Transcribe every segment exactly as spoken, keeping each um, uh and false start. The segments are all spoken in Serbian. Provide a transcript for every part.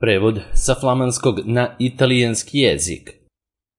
Prevod sa flamanskog na italijanski jezik.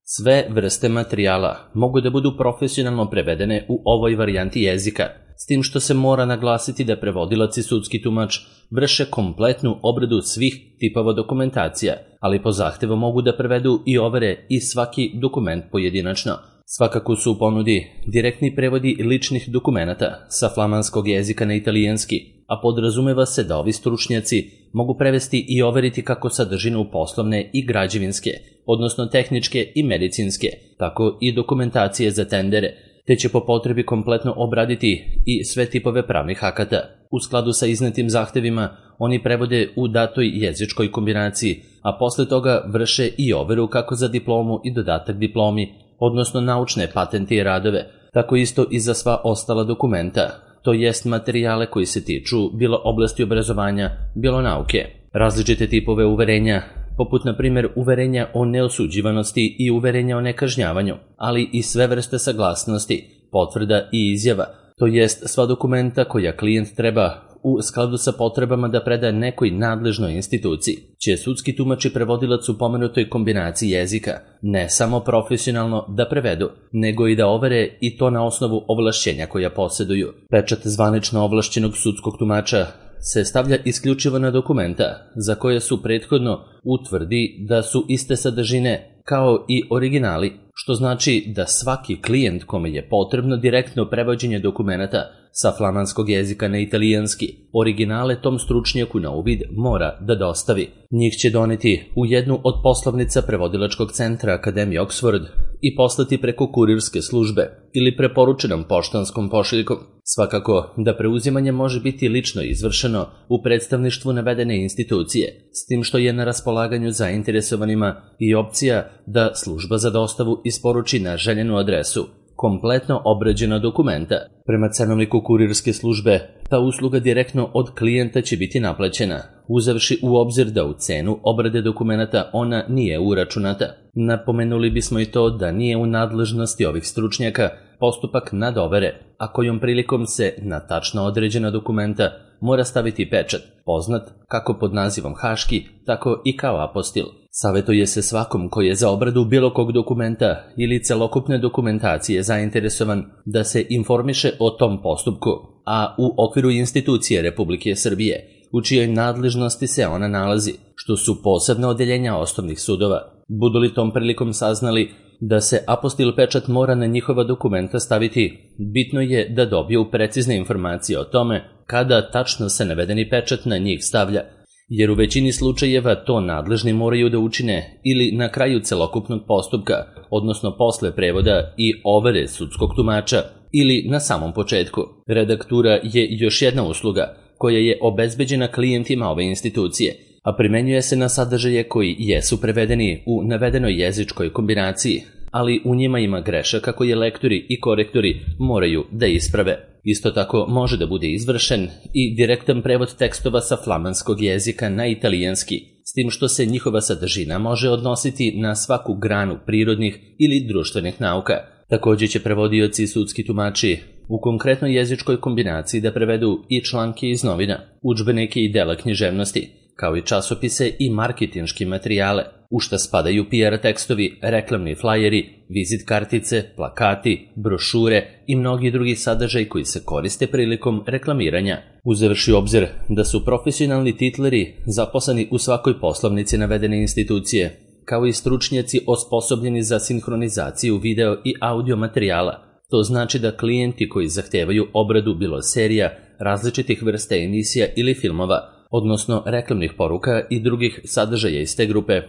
Sve vrste materijala mogu da budu profesionalno prevedene u ovoj varijanti jezika, s tim što se mora naglasiti da prevodilac i sudski tumač vrše kompletnu obradu svih tipova dokumentacija, ali po zahtevu mogu da prevedu i overe i svaki dokument pojedinačno. Svakako su u ponudi direktni prevodi ličnih dokumenata sa flamanskog jezika na italijanski, a podrazumeva se da ovi stručnjaci mogu prevesti i overiti kako sadržinu poslovne i građevinske, odnosno tehničke i medicinske, tako i dokumentacije za tendere, te će po potrebi kompletno obraditi i sve tipove pravnih akata. U skladu sa iznetim zahtevima, oni prevode u datoj jezičkoj kombinaciji, a posle toga vrše i overu kako za diplomu i dodatak diplomi, odnosno naučne patente i radove, tako isto i za sva ostala dokumenta, to jest materijale koji se tiču bilo oblasti obrazovanja, bilo nauke. Različite tipove uverenja, poput na primjer uverenja o neosuđivanosti i uverenja o nekažnjavanju, ali i sve vrste saglasnosti, potvrda i izjava, to jest sva dokumenta koja klijent treba u skladu sa potrebama da preda nekoj nadležnoj instituciji, će sudski tumač i prevodilac u pomenutoj kombinaciji jezika ne samo profesionalno da prevedu, nego i da overe i to na osnovu ovlašćenja koja posjeduju. Pečat zvanično ovlašćenog sudskog tumača se stavlja isključivo na dokumenta za koje su prethodno utvrdi da su iste sadržine kao i originali, što znači da svaki klijent kome je potrebno direktno prevođenje dokumenata sa flamanskog jezika na italijanski, originale tom stručnjaku na uvid mora da dostavi. Njih će doneti u jednu od poslovnica prevodilačkog centra Akademije Oxford i poslati preko kurirske službe ili preporučenom poštanskom pošiljkom. Svakako da preuzimanje može biti lično izvršeno u predstavništvu navedene institucije, s tim što je na raspolaganju zainteresovanima i opcija da služba za dostavu isporuči na željenu adresu kompletno obrađena dokumenta. Prema cenovniku kurirske službe, ta usluga direktno od klijenta će biti naplaćena, uzevši u obzir da u cenu obrade dokumenata ona nije uračunata. Napomenuli bismo i to da nije u nadležnosti ovih stručnjaka postupak nadovere, a kojom prilikom se na tačno određena dokumenta mora staviti pečat, poznat kako pod nazivom haški, tako i kao apostil. Savetuje se svakom koji je za obradu bilo kog dokumenta ili celokupne dokumentacije zainteresovan da se informiše o tom postupku, a u okviru institucije Republike Srbije, u čijoj nadležnosti se ona nalazi, što su posebna odeljenja osnovnih sudova. Budu li tom prilikom saznali da se apostil pečat mora na njihova dokumenta staviti, bitno je da dobiju precizne informacije o tome kada tačno se navedeni pečat na njih stavlja, jer u većini slučajeva to nadležni moraju da učine ili na kraju celokupnog postupka, odnosno posle prevoda i overe sudskog tumača, ili na samom početku. Redaktura je još jedna usluga koja je obezbeđena klijentima ove institucije, a primenjuje se na sadržaje koji jesu prevedeni u navedenoj jezičkoj kombinaciji, ali u njima ima grešaka koje lektori i korektori moraju da isprave. Isto tako može da bude izvršen i direktan prevod tekstova sa flamanskog jezika na italijanski, s tim što se njihova sadržina može odnositi na svaku granu prirodnih ili društvenih nauka. Također će prevodioci i sudski tumači u konkretnoj jezičkoj kombinaciji da prevedu i članke iz novina, udžbenike i dela književnosti, kao i časopise i marketinški materijale, u šta spadaju P R tekstovi, reklamni flajeri, vizit kartice, plakati, brošure i mnogi drugi sadržaj koji se koriste prilikom reklamiranja. Uzevši u obzir da su profesionalni titleri zaposleni u svakoj poslovnici navedene institucije, kao i stručnjaci osposobljeni za sinhronizaciju video i audio materijala, to znači da klijenti koji zahtevaju obradu bilo serija, različitih vrsta emisija ili filmova, odnosno reklamnih poruka i drugih sadržaja iz te grupe,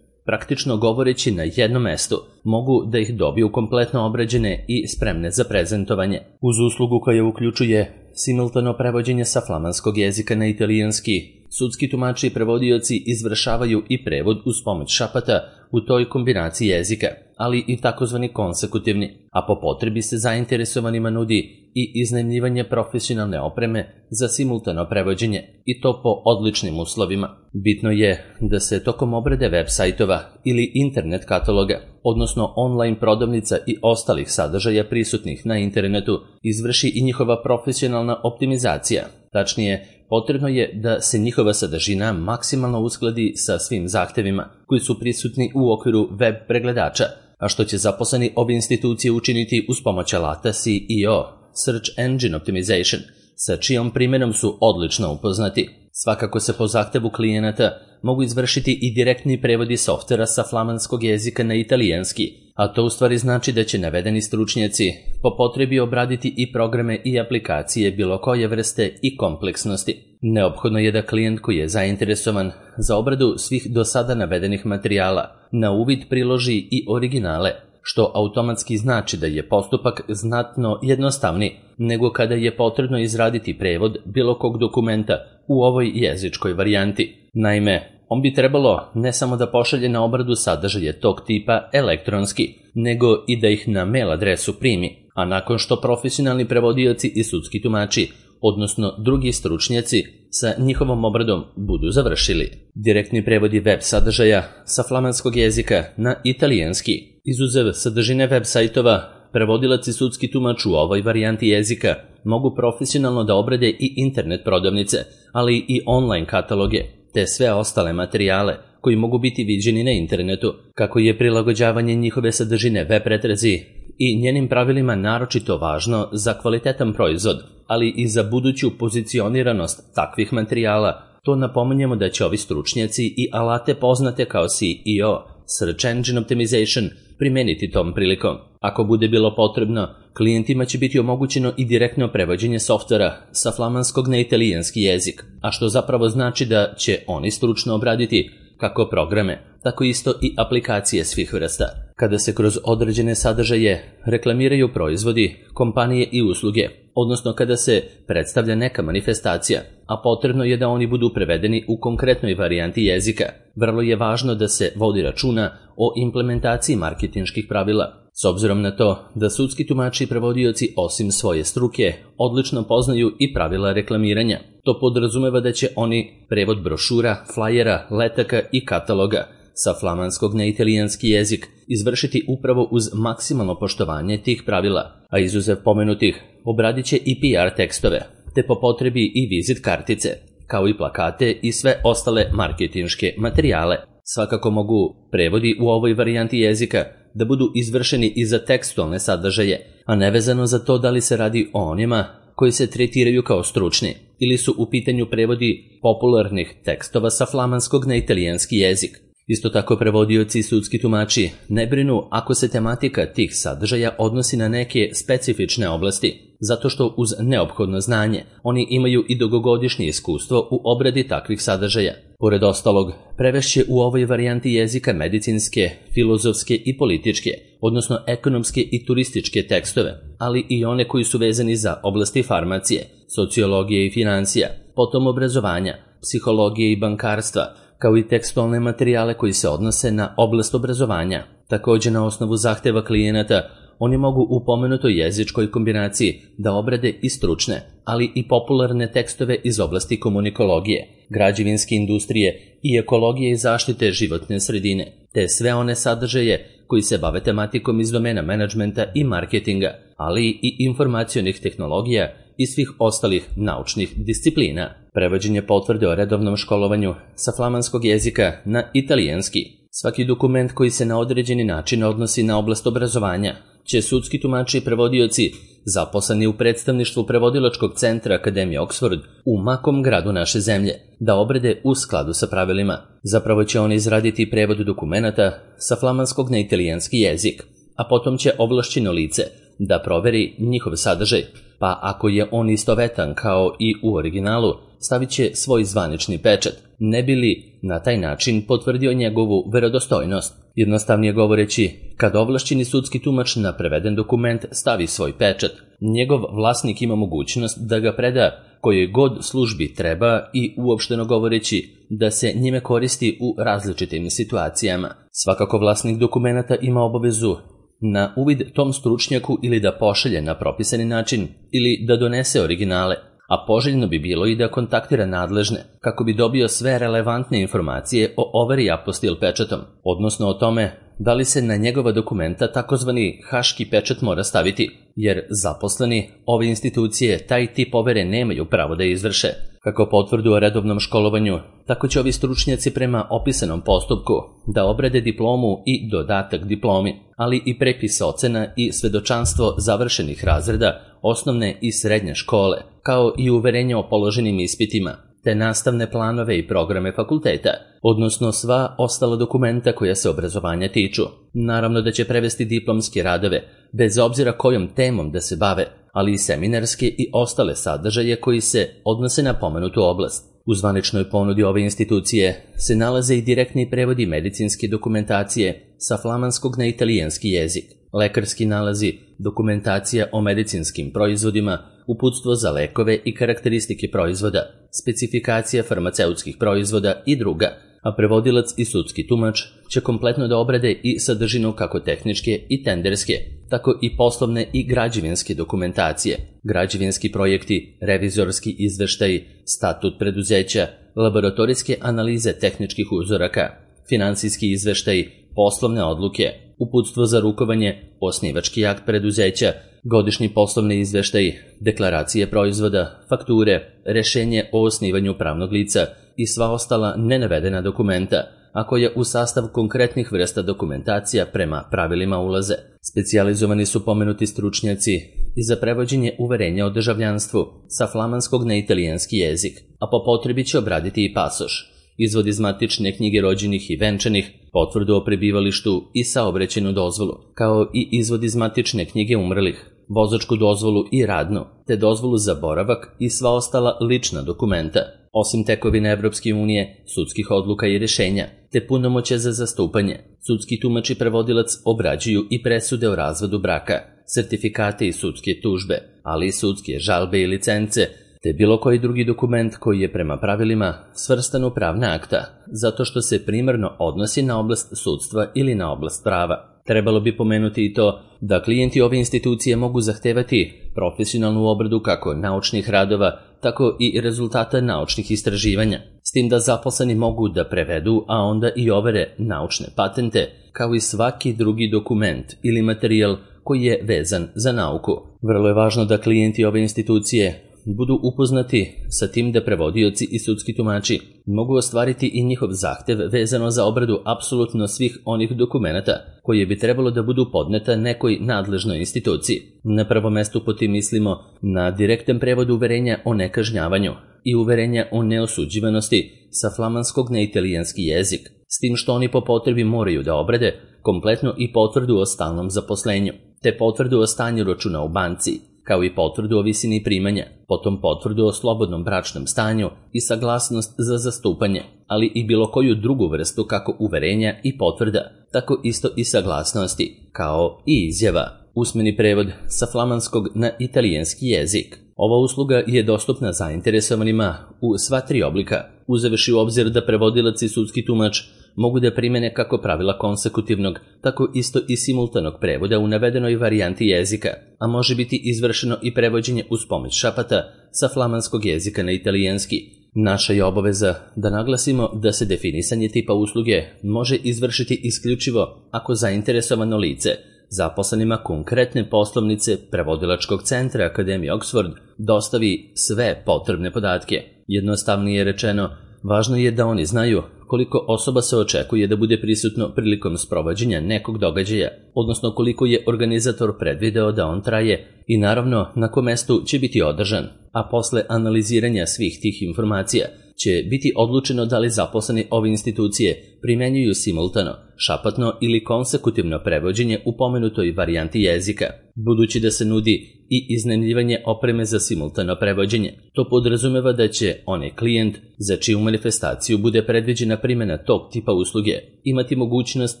praktično govoreći na jednom mestu, mogu da ih dobiju kompletno obrađene i spremne za prezentovanje. Uz uslugu koja uključuje simultano prevođenje sa flamanskog jezika na italijanski, sudski tumači i prevodioci izvršavaju i prevod uz pomoć šapata u toj kombinaciji jezika, ali i takozvani konsekutivni, a po potrebi se zainteresovanima nudi i iznajmljivanje profesionalne opreme za simultano prevođenje, i to po odličnim uslovima. Bitno je da se tokom obrade web sajtova ili internet kataloga, odnosno online prodavnica i ostalih sadržaja prisutnih na internetu, izvrši i njihova profesionalna optimizacija, tačnije potrebno je da se njihova sadržina maksimalno uskladi sa svim zahtevima koji su prisutni u okviru web pregledača, a što će zaposleni ove institucije učiniti uz pomoć alata C E O, Search Engine Optimization, sa čijom primjenom su odlično upoznati. Svakako se po zahtevu klijenata mogu izvršiti i direktni prevodi softvera sa flamanskog jezika na italijanski, a to u stvari znači da će navedeni stručnjaci po potrebi obraditi i programe i aplikacije bilo koje vrste i kompleksnosti. Neophodno je da klijent koji je zainteresovan za obradu svih do sada navedenih materijala na uvid priloži i originale, što automatski znači da je postupak znatno jednostavniji nego kada je potrebno izraditi prevod bilo kog dokumenta u ovoj jezičkoj varijanti. Naime, on bi trebalo ne samo da pošalje na obradu sadržaje tog tipa elektronski, nego i da ih na mail adresu primi, a nakon što profesionalni prevodioci i sudski tumači, odnosno drugi stručnjaci, sa njihovom obradom budu završili. Direktni prevodi web sadržaja sa flamanskog jezika na italijanski. Izuzev sadržine web sajtova, prevodilac i sudski tumač u ovoj varijanti jezika mogu profesionalno da obrade i internet prodavnice, ali i online kataloge, te sve ostale materijale koji mogu biti viđeni na internetu, kako je prilagođavanje njihove sadržine web pretrazi i njenim pravilima naročito važno za kvalitetan proizvod, ali i za buduću pozicioniranost takvih materijala. To napominjemo da će ovi stručnjaci i alate poznate kao C E O, Search Engine Optimization, primeniti tom prilikom. Ako bude bilo potrebno, klijentima će biti omogućeno i direktno prevođenje softvera sa flamanskog na italijanski jezik, a što zapravo znači da će oni stručno obraditi kako programe, tako isto i aplikacije svih vrsta. Kada se kroz određene sadržaje reklamiraju proizvodi, kompanije i usluge, odnosno kada se predstavlja neka manifestacija, a potrebno je da oni budu prevedeni u konkretnoj varijanti jezika, vrlo je važno da se vodi računa o implementaciji marketinških pravila. S obzirom na to da sudski tumači i prevodioci osim svoje struke odlično poznaju i pravila reklamiranja, to podrazumeva da će oni prevod brošura, flajera, letaka i kataloga sa flamanskog na italijanski jezik izvršiti upravo uz maksimalno poštovanje tih pravila, a izuzev pomenutih obradit će i P R tekstove, te po potrebi i vizit kartice, kao i plakate i sve ostale marketinške materijale. Svakako mogu prevodi u ovoj varijanti jezika da budu izvršeni i za tekstualne sadržaje, a nevezano za to da li se radi o onima koji se tretiraju kao stručni ili su u pitanju prevodi popularnih tekstova sa flamanskog na italijanski jezik. Isto tako prevodioci i sudski tumači ne brinu ako se tematika tih sadržaja odnosi na neke specifične oblasti, zato što uz neophodno znanje oni imaju i dugogodišnje iskustvo u obradi takvih sadržaja. Pored ostalog, prevešće u ovoj varijanti jezika medicinske, filozofske i političke, odnosno ekonomske i turističke tekstove, ali i one koji su vezani za oblasti farmacije, sociologije i financija, potom obrazovanja, psihologije i bankarstva, kao i tekstualne materijale koji se odnose na oblast obrazovanja. Također na osnovu zahteva klijenata, oni mogu u pomenutoj jezičkoj kombinaciji da obrade i stručne, ali i popularne tekstove iz oblasti komunikologije, građevinske industrije i ekologije i zaštite životne sredine, te sve one sadržaje koji se bave tematikom iz domena menadžmenta i marketinga, ali i informacionih tehnologija i svih ostalih naučnih disciplina. Prevođenje potvrde o redovnom školovanju sa flamanskog jezika na italijanski. Svaki dokument koji se na određeni način odnosi na oblast obrazovanja će sudski tumači i prevodioci zaposleni u predstavništvu prevodilačkog centra Akademije Oxford u makom gradu naše zemlje da obrade u skladu sa pravilima. Zapravo će oni izraditi prevod dokumenata sa flamanskog na italijanski jezik, a potom će ovlašćeno lice da proveri njihov sadržaj, pa ako je on istovetan kao i u originalu, stavit će svoj zvanični pečat, ne bi li na taj način potvrdio njegovu verodostojnost. Jednostavnije govoreći, kad ovlašćeni sudski tumač na preveden dokument stavi svoj pečat, njegov vlasnik ima mogućnost da ga preda kojoj god službi treba i uopšteno govoreći da se njime koristi u različitim situacijama. Svakako vlasnik dokumenata ima obavezu na uvid tom stručnjaku ili da pošalje na propisani način ili da donese originale, a poželjno bi bilo i da kontaktira nadležne kako bi dobio sve relevantne informacije o overi apostil pečatom, odnosno o tome da li se na njegova dokumenta takozvani haški pečat mora staviti, jer zaposleni ove institucije taj tip overe nemaju pravo da izvrše. Kako potvrdu o redovnom školovanju, tako će ovi stručnjaci prema opisanom postupku da obrade diplomu i dodatak diplomi, ali i prepis ocena i svedočanstvo završenih razreda osnovne i srednje škole, kao i uverenje o položenim ispitima, te nastavne planove i programe fakulteta, odnosno sva ostala dokumenta koja se obrazovanja tiču. Naravno da će prevesti diplomske radove, bez obzira kojom temom da se bave, ali i seminarske i ostale sadržaje koji se odnose na pomenutu oblast. U zvaničnoj ponudi ove institucije se nalaze i direktni prevodi medicinske dokumentacije sa flamanskog na italijanski jezik, lekarski nalazi, dokumentacija o medicinskim proizvodima, uputstvo za lekove i karakteristike proizvoda, specifikacija farmaceutskih proizvoda i druga, a prevodilac i sudski tumač će kompletno da obrade i sadržinu kako tehničke i tenderske, tako i poslovne i građevinske dokumentacije, građevinski projekti, revizorski izveštaji, statut preduzeća, laboratorijske analize tehničkih uzoraka, finansijski izveštaji, poslovne odluke, uputstvo za rukovanje, osnivački akt preduzeća, godišnji poslovni izveštaji, deklaracije proizvoda, fakture, rešenje o osnivanju pravnog lica i sva ostala nenavedena dokumenta, a koja u sastav konkretnih vrsta dokumentacija prema pravilima ulaze. Specijalizovani su pomenuti stručnjaci i za prevođenje uverenja o državljanstvu sa flamanskog na italijanski jezik, a po potrebi će obraditi i pasoš, izvod iz matične knjige rođenih i venčanih, potvrdu o prebivalištu i saobraćajnu dozvolu, kao i izvod iz matične knjige umrlih, vozačku dozvolu i radnu, te dozvolu za boravak i sva ostala lična dokumenta, osim tekovine Evropske unije, sudskih odluka i rešenja, te punomoćja za zastupanje. Sudski tumač i prevodilac obrađuju i presude o razvodu braka, sertifikate i sudske tužbe, ali i sudske žalbe i licence, te bilo koji drugi dokument koji je prema pravilima svrstan u pravna akta, zato što se primarno odnosi na oblast sudstva ili na oblast prava. Trebalo bi pomenuti i to da klijenti ove institucije mogu zahtevati profesionalnu obradu kako naučnih radova, tako i rezultata naučnih istraživanja, s tim da zaposleni mogu da prevedu, a onda i overe naučne patente, kao i svaki drugi dokument ili materijal koji je vezan za nauku. Vrlo je važno da klijenti ove institucije budu upoznati sa tim da prevodioci i sudski tumači mogu ostvariti i njihov zahtev vezano za obradu apsolutno svih onih dokumenata koje bi trebalo da budu podneta nekoj nadležnoj instituciji. Na prvom mestu po tim mislimo na direktan prevod uverenja o nekažnjavanju i uverenja o neosuđivanosti sa flamanskog na italijanski jezik, s tim što oni po potrebi moraju da obrade kompletno i potvrdu o stalnom zaposlenju, te potvrdu o stanju računa u banci, kao i potvrdu o visini primanja, potom potvrdu o slobodnom bračnom stanju i saglasnost za zastupanje, ali i bilo koju drugu vrstu kako uverenja i potvrda, tako isto i saglasnosti, kao i izjava. Usmeni prevod sa flamanskog na italijanski jezik. Ova usluga je dostupna zainteresovanima u sva tri oblika, uzevši u obzir da prevodilac i sudski tumač mogu da primene kako pravila konsekutivnog, tako isto i simultanog prevoda u navedenoj varijanti jezika, a može biti izvršeno i prevođenje uz pomoć šapata sa flamanskog jezika na italijanski. Naša je obaveza da naglasimo da se definisanje tipa usluge može izvršiti isključivo ako zainteresovano lice zaposlenima konkretne poslovnice prevodilačkog centra Akademije Oxford dostavi sve potrebne podatke. Jednostavnije rečeno, važno je da oni znaju koliko osoba se očekuje da bude prisutno prilikom sprovođenja nekog događaja, odnosno koliko je organizator predvideo da on traje i naravno na kom mestu će biti održan, a posle analiziranja svih tih informacija će biti odlučeno da li zaposleni ove institucije primenjuju simultano, šapatno ili konsekutivno prevođenje u pomenutoj varijanti jezika. Budući da se nudi i iznajmljivanje opreme za simultano prevođenje, to podrazumeva da će onaj klijent za čiju manifestaciju bude predviđena primjena tog tipa usluge imati mogućnost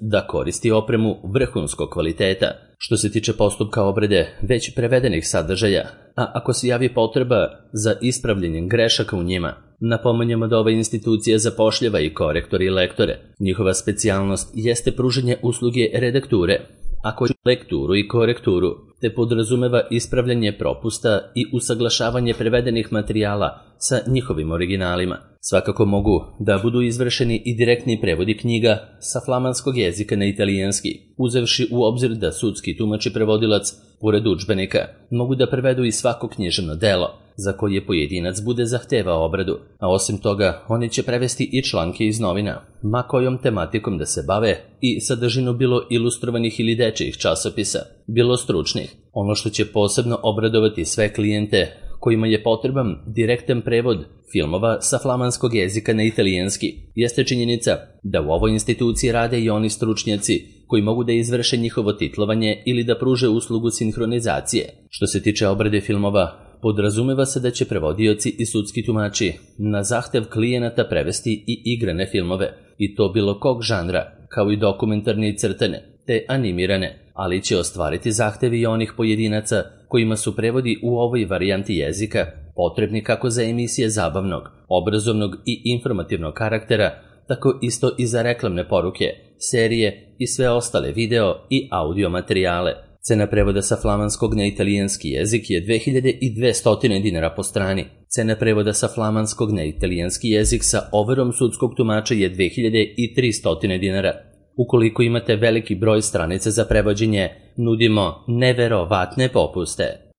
da koristi opremu vrhunskog kvaliteta. Što se tiče postupka obrade već prevedenih sadržaja, a ako se javi potreba za ispravljanjem grešaka u njima, napominjemo da ova institucija zapošljava i korektore i lektore. Njihova specijalnost jeste pružanje usluge redakture, a koju lekturu i korekturu te podrazumeva ispravljanje propusta i usaglašavanje prevedenih materijala sa njihovim originalima. Svakako mogu da budu izvršeni i direktni prevodi knjiga sa flamanskog jezika na italijanski, uzevši u obzir da sudski tumač i prevodilac, pored udžbenika, mogu da prevedu i svako književno delo za koje pojedinac bude zahtevao obradu, a osim toga oni će prevesti i članke iz novina, ma kojom tematikom da se bave, i sadržinu bilo ilustrovanih ili dečijih časopisa, bilo stručnih. Ono što će posebno obradovati sve klijente kojima je potreban direktan prevod filmova sa flamanskog jezika na italijanski, jeste činjenica da u ovoj instituciji rade i oni stručnjaci koji mogu da izvrše njihovo titlovanje ili da pruže uslugu sinhronizacije. Što se tiče obrade filmova, podrazumeva se da će prevodioci i sudski tumači na zahtev klijenata prevesti i igrane filmove, i to bilo kog žanra, kao i dokumentarne i crtane, te animirane, ali će ostvariti zahtevi i onih pojedinaca kojima su prevodi u ovoj varijanti jezika potrebni kako za emisije zabavnog, obrazovnog i informativnog karaktera, tako isto i za reklamne poruke, serije i sve ostale video i audio materijale. Cena prevoda sa flamanskog na italijanski jezik je dve hiljade dvesta dinara po strani. Cena prevoda sa flamanskog na italijanski jezik sa overom sudskog tumača je dve hiljade trista dinara. Ukoliko imate veliki broj stranica za prevođenje, nudimo neverovatne popuste.